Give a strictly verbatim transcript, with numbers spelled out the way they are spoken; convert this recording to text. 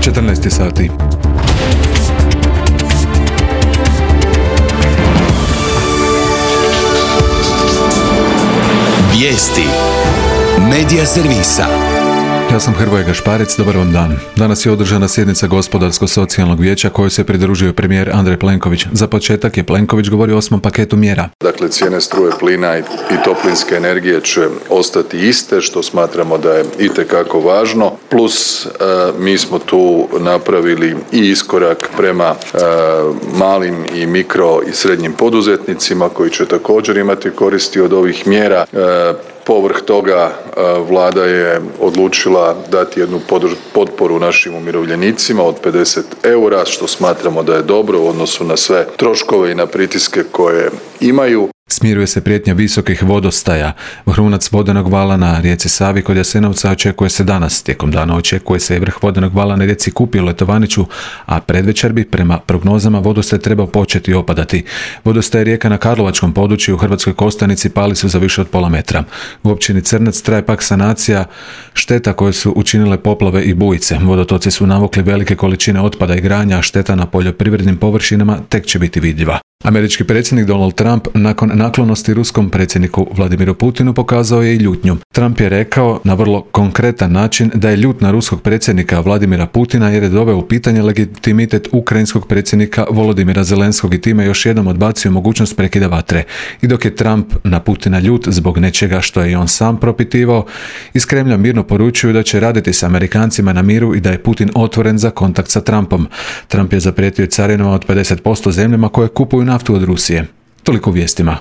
četrnaest sati. Vijesti Medija servisa. Ja sam Hrvoje Gašparec, dobar vam dan. Danas je održana sjednica Gospodarsko-socijalnog vijeća kojoj se pridružio premijer Andrej Plenković. Za početak je Plenković govorio o osmom paketu mjera. Dakle, cijene struje, plina i, i toplinske energije će ostati iste, što smatramo da je itekako važno. Plus, e, mi smo tu napravili i iskorak prema e, malim i mikro i srednjim poduzetnicima koji će također imati koristi od ovih mjera. E, Povrh toga Vlada je odlučila dati jednu potporu našim umirovljenicima od pedeset eura, što smatramo da je dobro u odnosu na sve troškove i na pritiske koje imaju. Smiruje se prijetnja visokih vodostaja. Vrhunac vodenog vala na rijeci Savi kod Jasenovca očekuje se danas. Tijekom dana očekuje se i vrh vodenog vala na rijeci Kupi u Letovaniću, a predvečer bi prema prognozama vodostaj trebao početi opadati. Vodostaj rijeka na Karlovačkom području u Hrvatskoj Kostajnici pali su za više od pola metra. U općini Crnac traje pak sanacija šteta koje su učinile poplave i bujice. Vodotoci su navukli velike količine otpada i granja, a šteta na poljoprivrednim površinama tek će biti vidljiva. Američki predsjednik Donald Trump nakon naklonosti ruskom predsjedniku Vladimiru Putinu pokazao je i ljutnju. Trump je rekao na vrlo konkretan način da je ljut na ruskog predsjednika Vladimira Putina jer je doveo u pitanje legitimitet ukrajinskog predsjednika Volodimira Zelenskog i time još jednom odbacio mogućnost prekida vatre. I dok je Trump na Putina ljut zbog nečega što je i on sam propitivao, iz Kremlja mirno poručuju da će raditi s Amerikancima na miru i da je Putin otvoren za kontakt sa Trumpom. Trump je zaprijetio carinama od pedeset posto zemljama koje kupuju naftu od Rusije. Toliko u vijestima.